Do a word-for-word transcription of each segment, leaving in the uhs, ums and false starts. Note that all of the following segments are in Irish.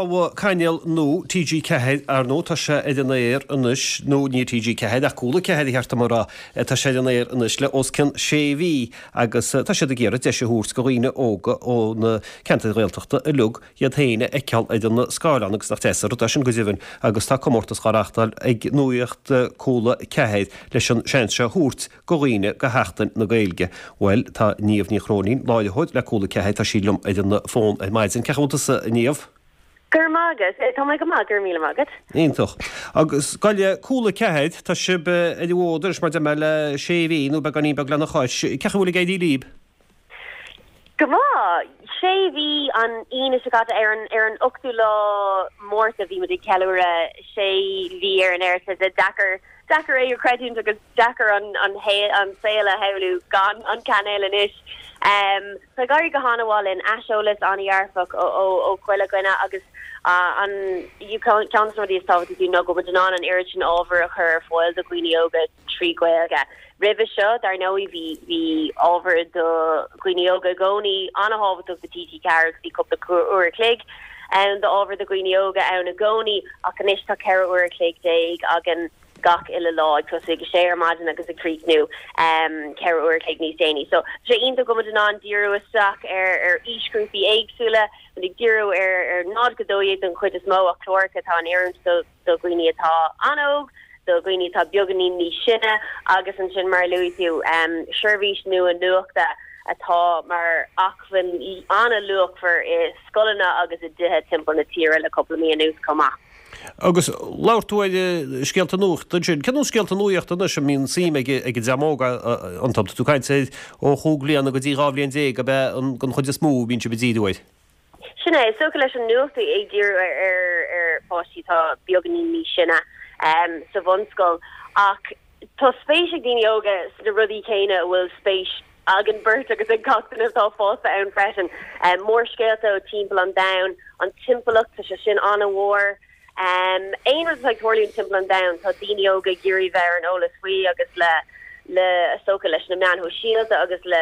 Tá cainéal nua TG Ceathair ar ndóigh tá sé ar an aer anois nó ní TG Ceathair ach Cúla Ceathair a cheart dom a rá tá sé ar an aer anois le os cionn sé mhí agus tá siad ag iarraidh deis a thabhairt do dhaoine óga ó na ceantair Ghaeltachta uilig iad féin a fheiceáil ar an scáileán agus nach deas an rud é sin go deimhin agus tá comórtas á reáchtáil ag Nuacht Cúla Ceathair leis an seans seo a thabhairt do dhaoine do Sheachtain na Gaeilge. Bhuel tá Niamh Ní Chróinín láithreoir le Cúla Ceathair tá sí liom ar an bhfón ar maidin. Cén chaoi a bhfuil tusa a Niamh? Gur magus tá mé go maith gur míle maith agat. Iontach. Agus goile Cúla Ceathair tá sibh ar an bhfód anois mar de le sé mhí nó beagáinín beag lena chois, cén chaoi a bhfuil ag éirí libh? Go maith sé mhí an Aoine seo caite ar an ar an ochtú lá Márta bhí muid ag ceiliúradh sé mhí ar an aer sé deacair deacair é a chreidiúint agus deacair an an an saol a shamhlú gan an cainéal anois. Um, Tá ag éirí go han-mhaith linn aiseolas an-dearfach ó ó chuile dhuine agus uh, an ceann de na rudaí is tábhachtaí ná go bhfuil an an oiread sin ábhar a chur ar fáil do dhaoine óga trí Ghaeilge. Roimhe seo dar ndóigh bhí bhí ábhar do dhaoine óga i gcónaí an-tábhachtach do TG Ceathair bhí cúpla uair a chloig ann d'ábhar do dhaoine óga ann i gcónaí ach anois tá ceithre uair a chloig déag againn gach uile lá ag tosú ag sé ar maidin agus ag críochnú um, ceithre uair a chloig níos déanaí. So sé iontach go bhfuil an díriú isteach ar ar aoisghrúpaí éagsúla, ag díriú ar ar náid go dóigh den chuid is mó a cláracha atá in oiriúint do do dhaoine atá an-óg, do dhaoine atá beagáinín níos sine agus ansin mar luaigh tú um, seirbhís nua nuachta atá mar acmhainn an-luachmhar i scoileanna agus i dtithe timpeall na tíre le cúpla mí anuas chomh maith. Agus labhair tú ar scéalta nuachta sin, Cén scéalta nuachta anois a mbíonn suim ag ag an dream óg iontu tú caint ó chúig bliana go dtí dhá bhliain déag a bheith an chuid is mó bíonn sibh ag díriú air. Sin é so leis an nuacht ag díriú ar ar ar pháistí tá beagáinín níos sine um, sa bhunscoil ach tá spéis ag daoine óga sna rudaí céanna a bhfuil spéis againn beirt agus ag gach duine atá fásta ann freisin. Um, mórscéalta ó timpeall an domhain, an timpeallacht tá sé sin an-mhór. Um, aon rud ag tarlú timpeall an domhain tá daoine óga ag iarraidh bheith ar an eolas faoi agus le le socha leis na meáin shóisialta agus le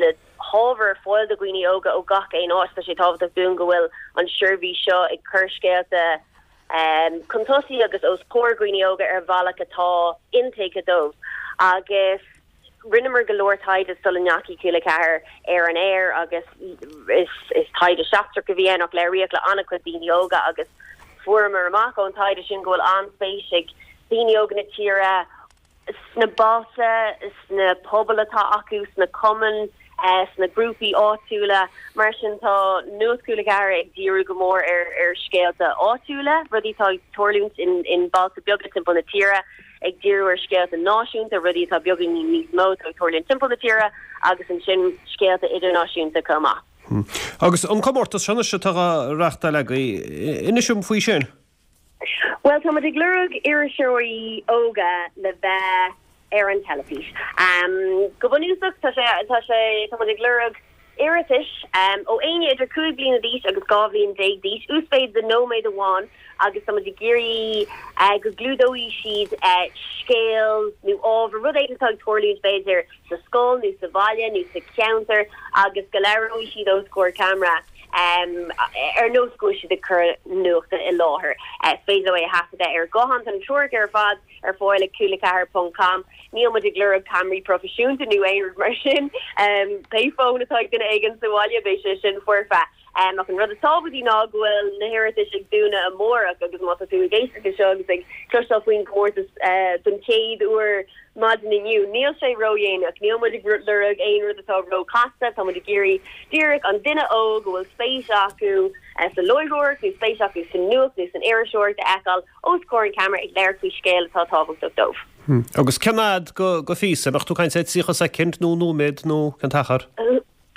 le hábhar fáil do dhaoine óga ó gach aon áit tá sé tábhachtach dúinn go bhfuil an seirbhís seo ag cur scéalta um, chun tosaigh agus os comhair daoine óga ar bhealach atá intuigthe dóibh agus rinneamar go leor taighde sula ndeachaigh Cúla Ceathair ar an aer agus is is taighde seachtrach a bhí ann ach labhraíodh le an-chuid daoine óga agus fuaireamar amach ón taighde sin go bhfuil an-spéis ag daoine óga na tíre sna bailte sna pobail atá acu sna cumainn eh, sna grúpaí áitiúla mar sin tá Nuacht Cúla Ceathair ag díriú go mór ar ar scéalta áitiúla rudaí atá ag tarlúint in in bailte beaga timpeall na tíre ag díriú ar scéalta náisiúnta rudaí atá beagáinín níos mó atá ag tarlúint timpeall na tíre agus ansin scéalta idirnáisiúnta chomh maith. Hmm. Agus an comórtas seo atá á reáchtáil agaibh inis dom faoi sin. Well tá ag lorg iriseoirí óga le bheith ar an teilifís. Um, go bunúsach tá sé tá sé tá ag lorg iarratais um, ó éinne idir cúig bliana d'aois agus dhá bhliain déag d'aois uasmhéid de nóiméad amháin agus tá ag iarraidh uh, go gclúdóidh siad uh, scéal nó ábhar rud éigin atá ag tarlúint b'fhéidir sa scoil nó sa bhaile nó sa cheantar agus go labhróidh siad os comhair ceamara. Um, ar nós go siad ag cur nuachta i láthair. Uh, féidir é a thaifeadadh ar ghuthán an treoir ar fad ar fáil ag cúla ceathair ponc com. Níl muid ag lorg ceamaraí proifisiúnta nó aon rud mar sin. Um, pé fón atá ag duine éigin sa bhaile beidh sé sin foirfe. Um, ach an rud is tábhachtaí ná go bhfuil na hiarratais ag dúnadh amárach agus má tá tú ag éisteacht seo agus ag cloisteáil faoin gcomórtas uh, don chéad uair maidin inniu. Níl sé ródhéanach, níl muid ag lorg aon rud atá róchasta, tá muid ag iarraidh díreach an duine óg go bhfuil spéis acu uh, sa láithreoireacht nó spéis acu sa nuacht nó san iriseoireacht a fheiceáil os comhair an ceamara ag labhairt faoi scéal atá tábhachtach dóibh. Hmm. Agus cén fhad go go phíosa, ach tú caint tríocha soicind nó nóiméad nó cén t-achar?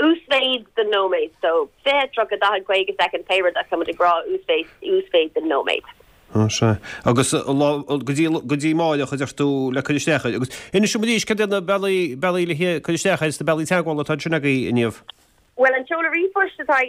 Uasmhéid de nóiméad, so fiche tríocha daichead caoga soicind pé rud ach tá ag rá uasmhéid uasmhéid de nóiméad. sé. Agus go dtí amárach a deir tú le cur isteach agus inis dom arís cad na bealaí bealaí le cur isteach agus na bealaí teagmhála atá sin agaibh inniu. Well an seoladh ríomhphoist atá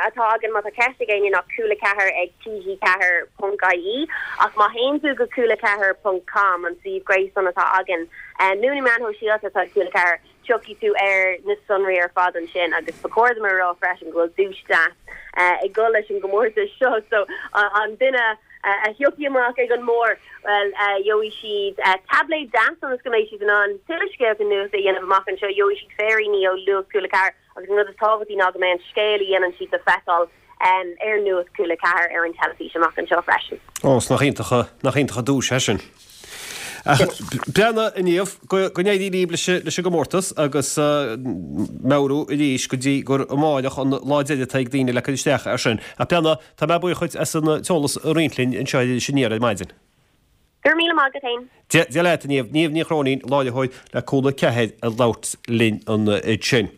atá againn má tá ceist ag éinne ná cúla ceathair ag TG ceathair ponc IE ach má théann tú go cúla ceathair ponc com an suíomh gréasáin atá againn nó na meáin shóisialta atá cúla ceathair Tiocfaidh tú ar na sonraí ar fad ansin agus ba chóir dom a rá freisin go bhfuil duais deas ag dul leis an gcomórtas seo so an duine a thiocfaidh amach ag an mbarr well gheobhaidh siad tablet deas agus go mbeidh siad in ann tuilleadh scéalta nuachta a dhéanamh amach anseo gheobhaidh siad féiríní ó Nuacht Cúla Ceathair agus an rud is tábhachtaí ná go mbeidh an scéal a dhéanann siad le feiceáil ar Nuacht Cúla Ceathair ar an teilifís amach anseo freisin. Ó nach iontach nach iontach an duais é sin. Beanna inniu go n-éirí libh leis leis an gcomórtas agus meabhrú arís go dtí gur amárach an lá deiridh atá ag daoine le cur isteach ar sin. A Beanna tá mé buíoch as an t-eolas a roinnt linn anseo sin ar maidin. Gur míle maith agat féin. Dia leat Niamh Niamh Ní Chróinín láithreoir le Cúla Ceathair ag labhairt linn ansin.